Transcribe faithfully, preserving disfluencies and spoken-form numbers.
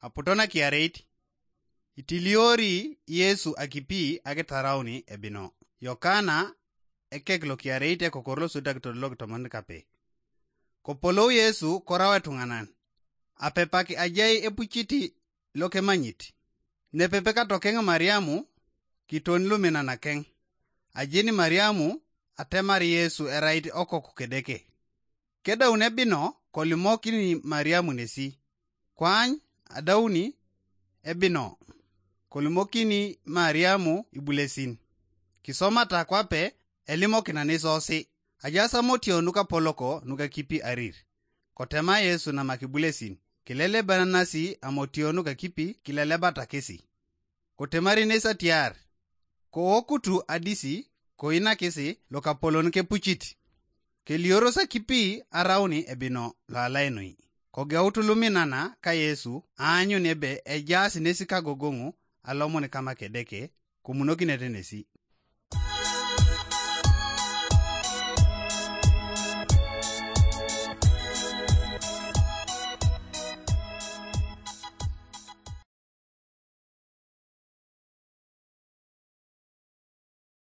Aputo nakiareit, itiliori Yesu akipi akitarauni ebino. Yokana ekek lokiareit ekokor losutakitod lokitomon kape. Kopolou Yesu korau etuŋanan, apepak ajai epuciti lokemanyit. Nepepe katokeng Mariamu kiton luminanakeng. Ajeni Mariamu atemar Yesu erait okok kedeke. Kedaun ebino kolimokini Mariamu nesi. Kwany adauni ebino kolimokini Mariamu ibulesin. Kisomata kwape elimokina nesosi. Ajaas amotio nukapoloko nukakipi arir. Kotema Yesu namak ibulesin, kilelebanasi amotio nukakipi kilelebata kesi. Kotemari nes atiar, kookutu adisi koinakisi lokapolon kepucit. Kelioros akipi arauni ebino loalainoi. Kogeut luminana ka Yesu aanyun ebe ejaas nes kagogoŋu alomon kama kedeke, komunokinete nesi.